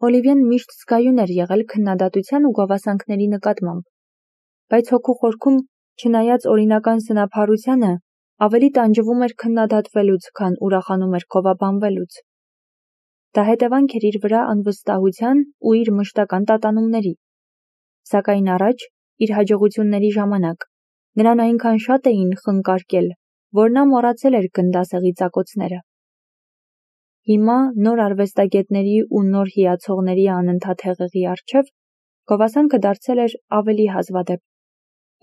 Օլիվիեն միշտ զգայուն էր եղել քննադատության ու գովասանքների նկատմամբ, բայց հոգու խորքում, չնայած օրինական սնափառությանը, ավելի տանջվում էր քննադատվելուց, քան ուրախանում էր քովաբանվելուց։ Դա հետևանք էր իր վրա անվստահության ու իր մշտական տատանումների։ Սակայն առաջ, իր հաջողությունների ժամանակ, նրան այնքան շատ էին խնկարկել, որ նա մոռացել էր գնդասեղի ծակոցները։ Հիմա նոր արվեստագետների ու նոր հիացողների անընդհատ հեղեղի առջև գովասանքը դարձել էր ավելի հազվադեպ,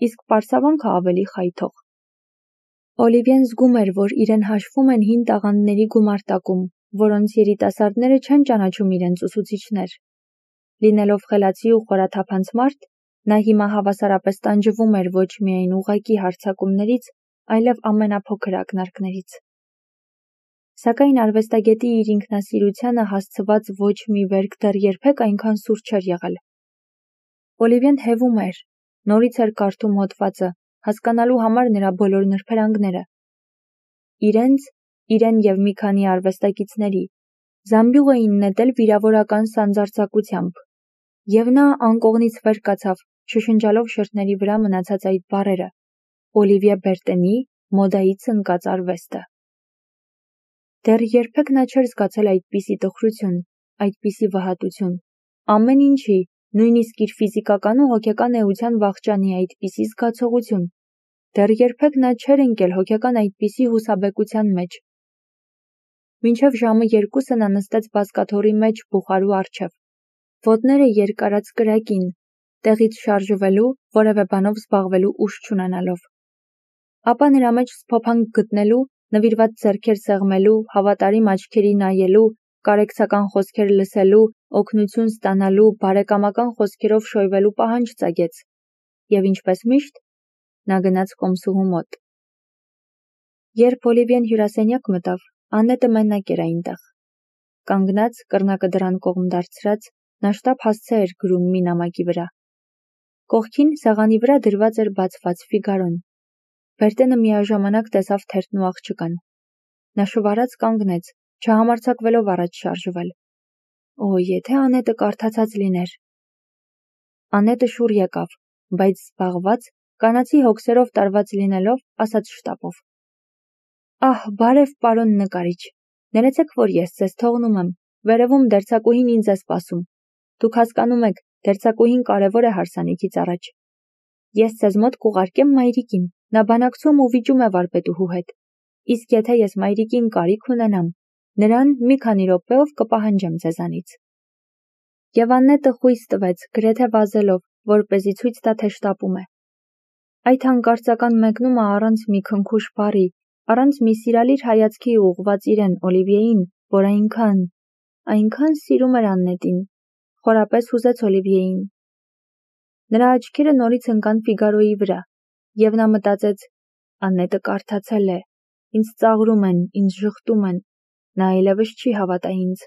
իսկ պարսավանքը ավելի խայթող։ Օլիվիեն զգում էր, որ իրեն հաշվում են հին տաղանդների գումարտակում, որոնց երիտասարդները չեն ճանաչում իրենց ուսուցիչներ։ Լինելով խելացի ու խորաթափանց մարդ, նա հիմա հավասարապես տանջվում էր ոչ միայն ուղղակի հարձակումներից, այլև ամենափոքր ակնարկներից։ Սակայն արվեստագետի իր ինքնասիրությանը հասցված ոչ մի վերք դեռ երբեք այնքան սուր չէր եղել։ Օլիվիեն հևում էր, նորից էր կարդում հոդվածը, հասկանալու համար նրա բոլոր նրբերանգները։ Իրեն և մի քանի արվեստագետների զամբյուղ էին նետել վիրավորական սանձարձակությամբ, և նա անկողնից վեր կացավ, շշնջալով շրթների վրա մնացած այդ բառերը. Օլիվիե Բերտենի մոդայից ընկած արվեստը։ Դեռ երբեք նա չէր զգացել այդպիսի տխրություն, այդպիսի վհատություն, ամեն ինչի, նույնիսկ իր ֆիզիկական ու հոգեկան էության վախճանի այդպիսի զգացողություն։ Դեռ երբեք նա չէր ընկել հոգեկան այդպիսի հուսաբեկության մեջ։ Մինչև ժամը 2 նա նստեց բազկաթոռի մեջ բուխարու առջև, ոտները երկարած կրակին, տեղից շարժվելու, որևէ բանով զբաղվելու ուժ չունենալով։ Ապա նրա մեջ սփոփանք գտնելու, նվիրված ձեռքեր սեղմելու, հավատարիմ աչքերի նայելու, կարեկցական խոսքեր լսելու, օգնություն ստանալու, բարեկամական խոսքերով շոյվելու պահանջ ծագեց, և ինչպես միշտ, նա գնաց կոմսուհու մոտ։ Երբ Օլիվիեն հյուրասենյակ մտավ, Աննետը մենակ էր այնտեղ։ Կանգնած, կռնակը դռան կողմ դարձրած, նա շտապ հասցե էր գրում մի նամակի վրա։ Կողքին սեղանի վրա դրված էր բացված Ֆիգարոն։ Բերտենը միաժամանակ տեսավ թերթն ու աղջկան։ Նա շվարած կանգնեց, չհամարձակվելով առաջ շարժվել։ Օ, եթե Անետը կարդացած լիներ։ Անետը շուռ եկավ, բայց զբաղված, կանացի հոգսերով տարված լինելով, ասաց շտապով. Ահ, բարև պարոն նկարիչ, ներեցեք, որ ես ձեզ թողնում եմ, վերևում դերձակուհին ինձ է սպասում։ Դուք հասկանում եք, դերձակուհին կարևոր է հարսանիքից առաջ։ Ես ձեզ մոտ կուղարկեմ մայրիկին, նա բանակցում ու վիճում է վարպետուհու հետ։ Իսկ եթե ես մայրիկին կարիք ունենամ, նրան մի քանի րոպեով կպահանջեմ ձեզանից։ Եվ Աննետը խույս տվեց, գրեթե վազելով, որպեսզի ցույց տա, թե շտապում է։ Այդ հանկարծական մեկնումը առանց մի քնքուշ բառի, առանց մի սիրալիր հայացքի ուղղված իրեն Օլիվիեին, որ այնքան սիրում էր Աննետին, խորապես հուզեց Օլիվիեին։ Նրա աչքերը նորից ընկան Ֆիգարոյի վրա, և նա մտածեց. Աննետը կարդացել է, ինձ ծաղրում են, ինձ ժխտում են, նա այլևս չի հավատա ինձ,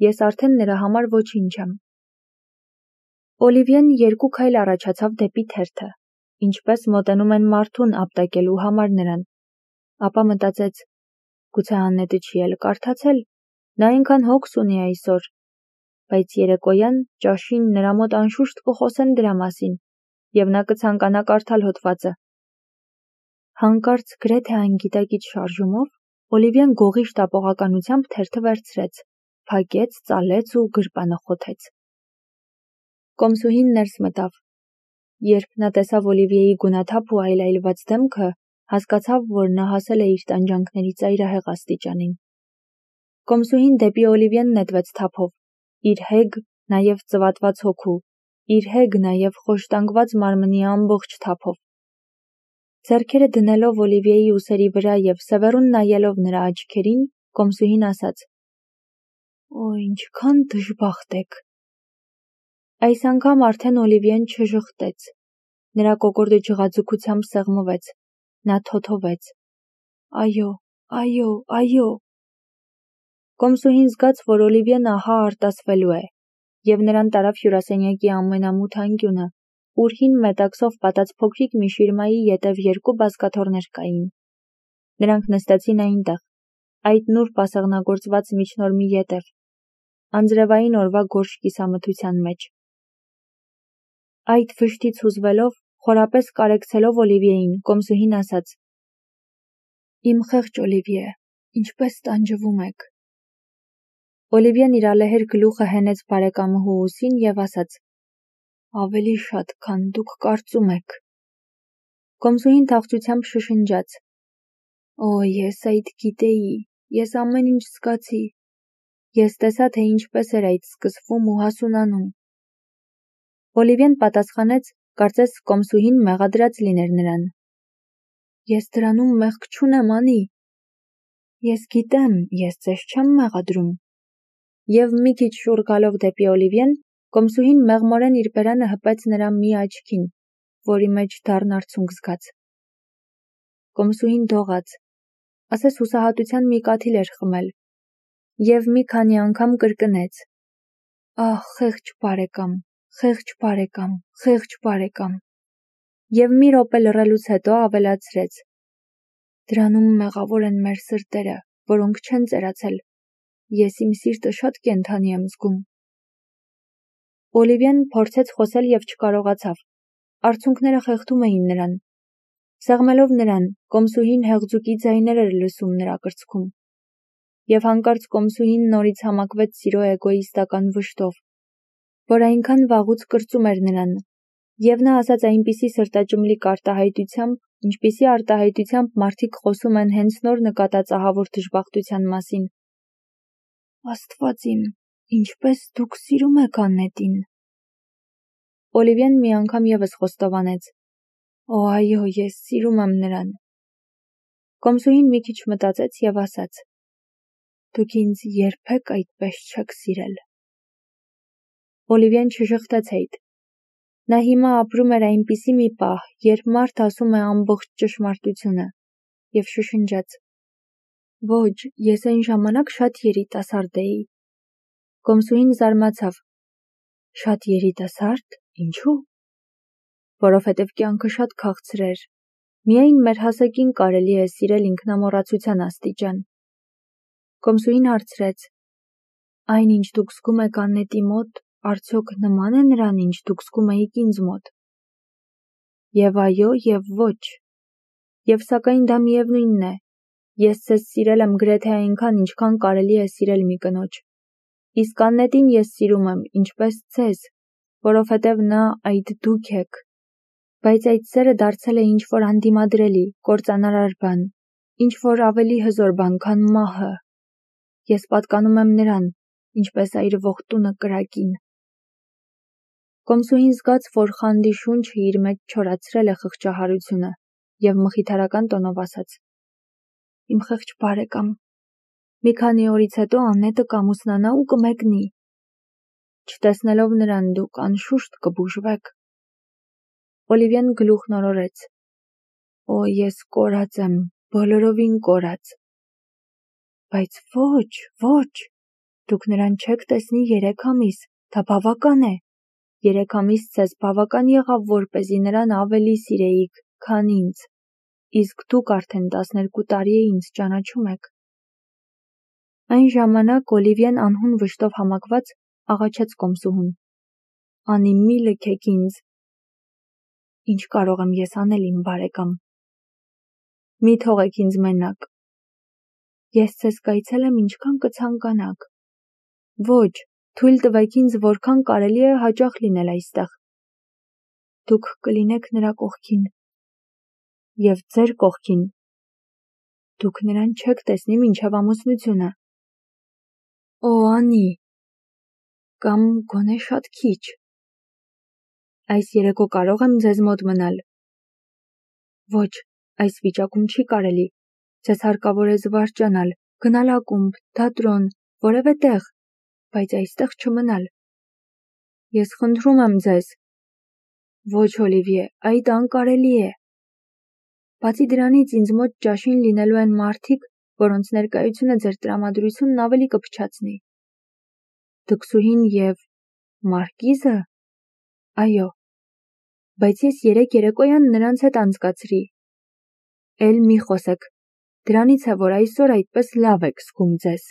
ես արդեն նրա համար ոչինչ եմ։ Օլիվիեն 2 քայլ առաջացավ դեպի թերթը, ինչպես մոտենում են մարդուն ապտակելու համար նրան, ապա մտածեց. գուցե Աննետը չի էլ կարդացել, նա այնքան հոգս ունի այսօր, բայց երեկոյան ճաշին նրա մոտ անշուշտ կխոսեն դրա մասին, և նա կցանկանա կարդալ հոդվածը։ Հանկարծ գրեթե անգիտակից շարժումով Օլիվիեն գողի շտապողականությամբ թերթը վերցրեց, փակեց, ծալեց ու գրպանը խոթեց։ Կոմսուհին ներս մտավ։ Երբ նա տեսավ Օլիվիեի գունաթափ ու այլայլված դեմքը, հասկացավ, որ նա հասել է իր տանջանքների ծայրահեղ աստիճանին։ Կոմսուհին դեպի Օլիվիեն նետվեց թափով, իր հեգ, նաև ծվատված հոգու, իր հեգ, նաև խոշտանգված մարմնի ամբողջ թափով։ Ձեռքերը դնելով Օլիվիեի ուսերի վրա և սևեռուն նայելով նրա աչքերին, կոմսուհին ասաց. Օ, ինչքան դժբախտ եք։ Այս անգամ արդեն Օլիվիեն չժխտեց։ Նրա կոկորդը ջղաձգությամբ սեղմվեց։ Նա թոթովեց. Այո, այո, այո։ Կոմսուհին զգաց, որ Օլիվիեն ահա արտասվելու է, և նրան տարավ հյուրասենյակի ամենամութ անկյունը, ուր հին մետաքսով պատած փոքրիկ մի շիրմայի ետև 2 բազկաթոռներ կային։ Նրանք նստեցին այնտեղ, այդ նուրբ ասեղնագործված միջնորմի ետև։ անձրևային օրվա գորշ կիսամթության մեջ։ Այդ վշտից հուզվելով, խորապես կարեկցելով Օլիվիեին, կոմսուհին ասաց. «Իմ խեղճ Օլիվիե, ինչպես տանջվում եք»։ Օլիվիեն իր ալեհեր գլուխը հենեց բարեկամուհու ուսին և ասաց. «Ավելի շատ, քան դուք կարծում եք»։ Կոմսուհին թախծությամբ շշնջաց. «Օ, ես այդ գիտեի, ես ամեն ինչ զգացի, ես տեսա, թե ինչպես էր այդ սկսվում ու հասունանում»։ Օլիվիեն պատասխանեց, կարծես կոմսուհին մեղադրած լիներ նրան. «Ես դրանում մեղք չունեմ, անի»։ «Ես գիտեմ, ես ձեզ չեմ մեղադրում»։ Եվ մի քիչ շուռ գալով դեպի Օլիվիեն, կոմսուհին մեղմորեն իր բերանը հպեց նրա մի աչքին, որի մեջ դառն արցունք զգաց։ Կոմսուհին դողաց, ասես հուսահատության մի կաթիլ էր խմել, և մի քանի անգամ կրկնեց. «Ահ, խեղճ բարեկամ, խեղճ բարեկամ, խեղճ բարեկամ»։ Եվ մի րոպե լռելուց հետո ավելացրեց. «Դրանում մեղավոր են մեր սրտերը, որոնք չեն ծերացել, ես իմ սիրտը շատ կենդանի եմ զգում»։ Օլիվիեն փորձեց խոսել և չկարողացավ, արցունքները խեղդում էին նրան։ Սեղմելով նրան, կոմսուհին հեղձուկի ձայներ էր լսում նրա կրծքում։ Եվ հանկարծ կոմսուհին նորից համակվեց սիրո էգոիստական վշտով, որ այնքան վաղուց կրծում էր նրան, և նա ասաց այնպիսի սրտաճմլիկ արտահայտությամբ, ինչպիսի արտահայտությամբ մարդիկ խոսում են հենց նոր նկատած ահավոր դժբախտության մասին. «Աստված իմ, ինչպես դուք սիրում եք Աննետին»։ Օլիվիեն մի անգամ ևս խոստովանեց. «Օ, այո, ես սիրում եմ նրան»։ Կոմսուհին մի քիչ մտածեց և ասաց. «Դուք ինձ երբեք այդպես չեք սիրել»։ Օլիվիեն չժխտեց հետ։ Նա հիմա ապրում էր այնպիսի մի պահ, երբ մարդ ասում է ամբողջ ճշմարտությունը, և շշնջաց. «Ոչ, ես այն ժամանակ շատ երիտասարդ էի»։ Կոմսուհին զարմացավ. «Շատ երիտասարդ, ինչու»։ «Որովհետև կյանքը շատ քաղցր էր, միայն մեր հասակին կարելի է սիրել ինքնամոռացության աստիճան»։ Կոմսուհին հարցրեց. «Այն, ինչ դուք զգում եք Աննետի մոտ, արդյոք նման է նրան, ինչ դուք զգում էիք ինձ մոտ»։ Եվ այո, և ոչ։ Եվ սակայն դա միևնույնն է, ես ձեզ սիրել եմ գրեթե այնքան, ինչքան կարելի է սիրել մի կնոջ։ Իսկ Աննետին ես սիրում եմ, ինչպես ձեզ, որովհետև նա այդ դուք եք։ Բայց այդ սերը դարձել է ինչ-որ անդիմադրելի, կործանարար բան, ինչ-որ ավելի հզոր բան, քան մահը։ Ես պատկանում եմ նրան, ինչպես այրվող տունը կրակին։ Կոմսուհին զգաց, որ խանդի շունչը իր մեջ չորացրել է խղճահարությունը, և մխիթարական տոնով ասաց. «Իմ խեղճ բարեկամ, մի քանի օրից հետո Աննետը կամուսնանա ու կմեկնի։ Չտեսնելով նրան դուք անշուշտ կբուժվեք»։ Օլիվիեն գլուխն օրորեց. «Օ, ես կորած եմ, բոլորովին կորած»։ «Բայց ոչ, ոչ, դուք նրան չեք տեսնի 3 ամիս, դա բավական է։ 3 ամիս ձեզ բավական եղավ, որպեսզի նրան ավելի սիրեիք, քան ինձ, իսկ դուք արդեն 12 տարի է ինձ ճանաչում եք»։ Այն ժամանակ Օլիվիեն անհուն վշտով համակված աղաչեց կոմսուհուն. «Անի, մի լքեք ինձ»։ «Ինչ կարող եմ ես անել, իմ բարեկամ»։ «Մի թողեք ինձ մենակ»։ «Ես ձեզ կայցելեմ ինչքան կցանկանաք»։ «Ոչ, թույլ տվեք ինձ որքան կարելի է հաճախ լինել այստեղ»։ «Դուք կլինեք նրա կողքին»։ «Եվ ձեր կողքին»։ «Դուք նրան չեք տեսնի մինչև ամուսնությունը»։ «Օ, Անի»։ «Կամ գոնե շատ քիչ»։ «Այս երեկո կարող եմ ձեզ մոտ մնալ»։ «Ոչ, այս վիճակում չի կարելի, ձեզ հարկավոր է զվարճանալ, գնալ ակումբ, թատրոն, որևէ տեղ, բայց այստեղ չմնալ»։ «Ես խնդրում եմ ձեզ»։ «Ոչ, Օլիվիե, այդ անկարելի է»։ «Բացի դրանից ինձ մոտ ճաշին լինելու են մարդիկ, որոնց ներկայությունը ձեր տրամադրությունն ավելի կփչացնի»։ «Դքսուհին և Մարկիզը»։ «Այո»։ «Բայց ես երեկ երեկոյան նրանց հետ անցկացրի»։ «Էլ մի խոսեք, դրանից է, որ այսօր այդպես լավ եք զգում ձեզ»։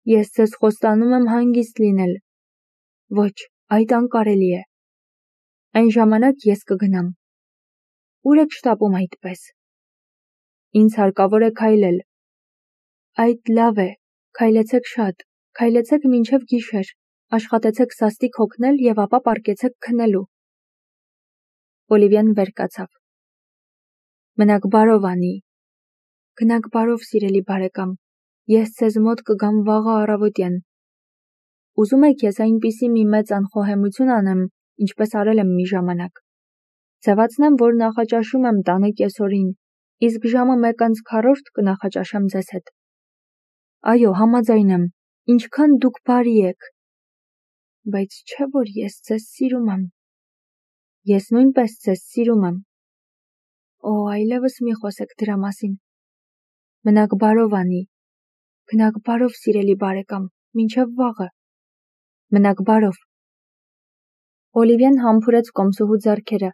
Ես ձեզ խոստանում եմ հանգիստ լինել։ Ոչ, այդ անկարելի է։ Այն ժամանակ ես կգնամ։ Ուր եք շտապում այդպես։ Ինձ հարկավոր է քայլել։ Այդ լավ է, քայլեցեք շատ, քայլեցեք մինչև գիշեր, աշխատեցեք սաստիկ հոգնել և ապա պառկեցեք քնելու։ Օլիվիան վեր կացավ։ Մնաք բարով, Անի։ Գնաք բարով, սիրելի բարեկամ, ես ձեզ մոտ կգամ վաղը առավոտյան։ Ուզում եք ես այնպիսի մի մեծ անխոհեմություն անեմ, ինչպես արել եմ մի ժամանակ։ Ձևացնեմ, որ նախաճաշում եմ տանը կեսօրին, իսկ ժամը 1:40 կնախաճաշեմ ձեզ հետ։ Այո, համաձայն եմ, ինչքան դուք բարի եք։ Բայց չէ՞ որ ես ձեզ սիրում եմ։ Ես նույնպես ձեզ սիրում եմ։ Օ, այլևս մի խոսեք դրա մասին։ Մնաք բարով, Անի։ Գնաք բարով, սիրելի բարեկամ, մինչև վաղը։ Մնաք բարով։ Օլիվիան համբուրեց կոմսուհու ձեռքերը,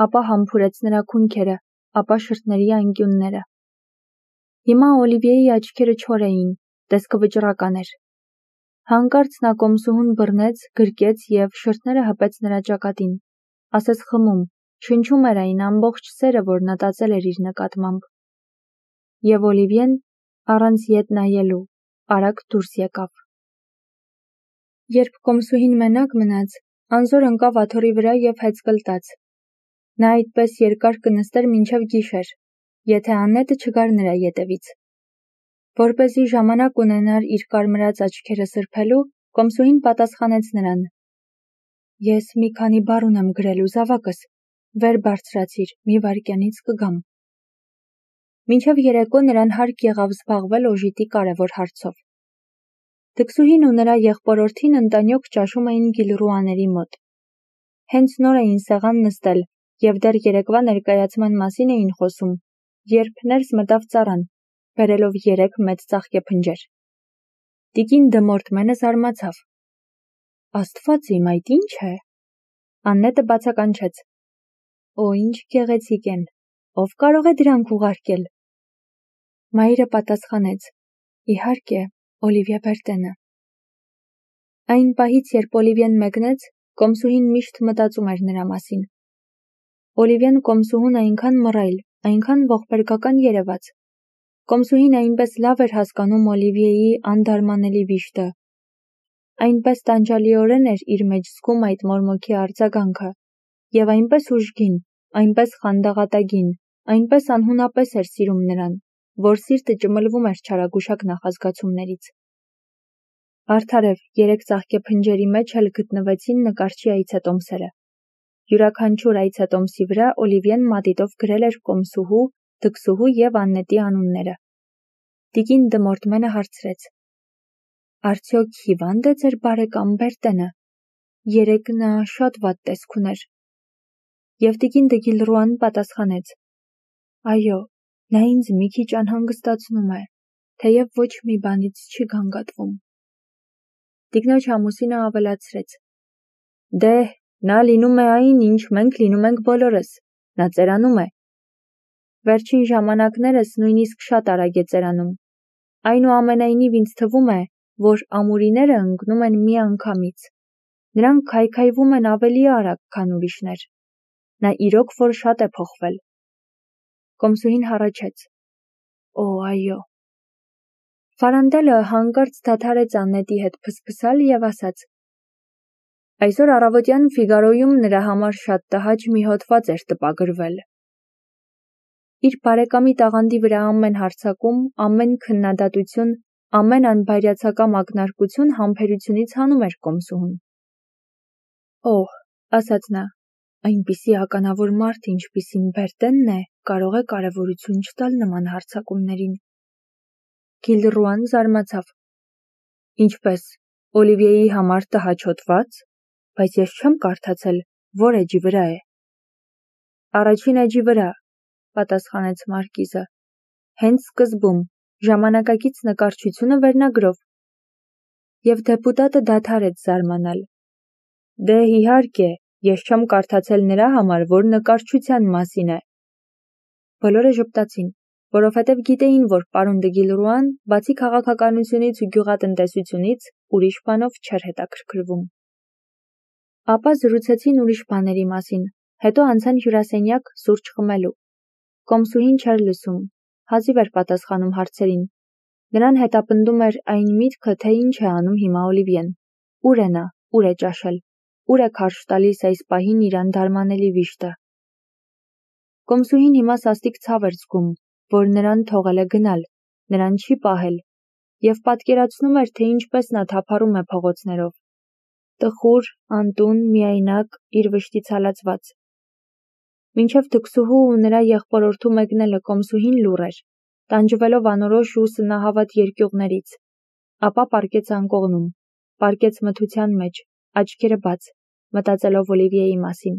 ապա համբուրեց նրա քունքերը, ապա շրթների անկյունները։ Հիմա Օլիվիեի աչքերը չոր էին, տեսքը վճռական էր։ Հանկարծ նա կոմսուհուն բռնեց, գրկեց և շրթները հպեց նրա ճակատին, ասես խմում, շնչում էր այն ամբողջ սերը, որ նա տածել էր իր նկատմամբ։ Եվ Օլիվիեն, առանց ետ նայելու, արագ դուրս եկավ։ Երբ կոմսուհին մենակ մնաց, անզոր ընկավ աթոռի վրա և հեծկլտաց։ Նա այդպես երկար կնստեր մինչև գիշեր, եթե Աննետը չգար նրա ետևից։ Որպեսզի ժամանակ ունենար իր կարմրած աչքերը սրբելու, կոմսուհին պատասխանեց նրան. Ես մի քանի բառ ունեմ գրելու, զավակս, վեր բարձրացիր, մի վայրկյանից կգամ։ Մինչև երեկո նրան հարկ եղավ զբաղվել օժիտի կարևոր հարցով։ Դքսուհին ու նրա եղբորորդին ընտանյոք ճաշում էին Գիլռուաների մոտ։ Հենց նոր էին սեղան նստել և դեռ երեկվա ներկայացման մասին էին խոսում, երբ ներս մտավ ծառան, բերելով 3 մեծ ծաղկեփնջեր։ Տիկին Դմորթմենը զարմացավ։ Աստված իմ, այդ ի՞նչ է։ Աննետը բացականչեց։ Օ, ինչ գեղեցիկ են, ով կարող է դրանք ուղարկել։ Մայրը պատասխանեց. Իհարկե, Օլիվիա Բերտենը։ Այն պահից, երբ Օլիվիան մեկնեց, կոմսուհին միշտ մտածում էր նրա մասին։ Օլիվիան կոմսուհուն այնքան մռայլ, այնքան ողբերգական երևաց։ Կոմսուհին այնպես լավ էր հասկանում Օլիվիեի անդարմանելի վիշտը։ Այնպես տանջալիորեն էր իր մեջ զգում այդ մորմոքի արձագանքը, և այնպես ուժգին, այնպես խանդաղատագին, այնպես անհունապես էր սիրում նրան, որ սիրտը ճմլվում էր չարագուշակ նախազգացումներից։ Արդարև 3 ծաղկեփնջերի մեջ էլ գտնվեցին նկարչի այցետոմսերը։ Յուրաքանչյուր այցետոմսի վրա Օլիվիեն մատիտով գրել էր կոմսուհու, դքսուհու և Աննետի անունները։ Տիկին Դմորթմենը հարցրեց. Արդյոք հիվա՞նդ է ձեր բարեկամ Բերտենը։ Երեկ նա շատ վատ տեսք ուներ։ Եվ տիկին դը Գիլռուան պատասխանեց. Այո, նա ինձ մի քիչ անհանգստացնում է, թեև ոչ մի բանից չի գանգատվում։ Տիկնոջ ամուսինը ավելացրեց. Դե, նա լինում է այն, ինչ մենք լինում ենք բոլորս, նա ծերանում է։ Վերջին ժամանակներս նույնիսկ շատ արագ է ծերանում։ Այնուամենայնիվ ինձ թվում է, որ ամուրիները ընկնում են մի անգամից։ Նրանք քայքայվում են ավելի արագ, քան ուրիշներ։ Նա իրոք որ շատ է փոխվել։ Կոմսուհին հառաչեց. Օ, այո։ Ֆարանդելը հանկարծ դադարեց Աննետի հետ փսփսալ և ասաց. Այսօր առավոտյան Ֆիգարոյում նրա համար շատ տհաճ մի հոդված էր տպագրվել։ Իր բարեկամի տաղանդի վրա ամեն հարձակում, ամեն քննադատություն, ամեն անբայրացակամ ակնարկություն համբերությունից հանում էր կոմսուհուն։ Օհ, ասաց նա, այնպիսի ականավոր մարդ, ինչպիսին Բերտենն է, կարող է կարևորություն չտալ նման հարձակումներին։ Գիլռուան զարմացավ։ Ինչպես, Օլիվիեի համար տհաճ հոդված, բայց ես չեմ կարդացել, որ էջի վրա է։ Առաջին էջի վրա, պատասխանեց մարկիզը, հենց սկզբում, ժամանակակից նկարչությունը վերնագրով։ Եվ դեպուտատը դադարեց զարմանալ։ Դե իհարկե, ես չեմ կարդացել նրա համար, որ նկարչության մասին է։ Բոլորը ժպտացին։ որովհետև գիտեին, որ պարոն Դգիլրուան, բացի քաղաքականությունից ու գյուղատնտեսությունից, ուրիշ բանով չէր հետաքրքրվում։ Ապա զրուցեցին ուրիշ բաների մասին, հետո անցան հյուրասենյակ սուրճ խմելու։ Կոմսուհին չէր լսում, հազիվ էր պատասխանում հարցերին։ Նրան հետապնդում էր այն միտքը, թե ինչ է անում հիմա Օլիվիեն։ Ուր է նա, ուր է ճաշել, ուր է քարշ տալիս այս պահին իր անդարմանելի վիշտը։ Կոմսուհին հիմա սաստիկ ցավ էր զգում, որ նրան թողել է գնալ, նրան չի պահել, և պատկերացնում էր, թե ինչպես նա թափառում է փողոցներով։ Տխուր, անտուն, միայնակ, իր վշտից հալածված։ Մինչև թքսուհու ու նրա եղբորորդու մեկնելը Կոմսուհին լուռ էր, տանջվելով անորոշ ու սնահավատ երկյուղներից, ապա պառկեց անկողնում, պառկեց մթության մեջ, աչքերը բաց, մտածելով Օլիվիեի մասին։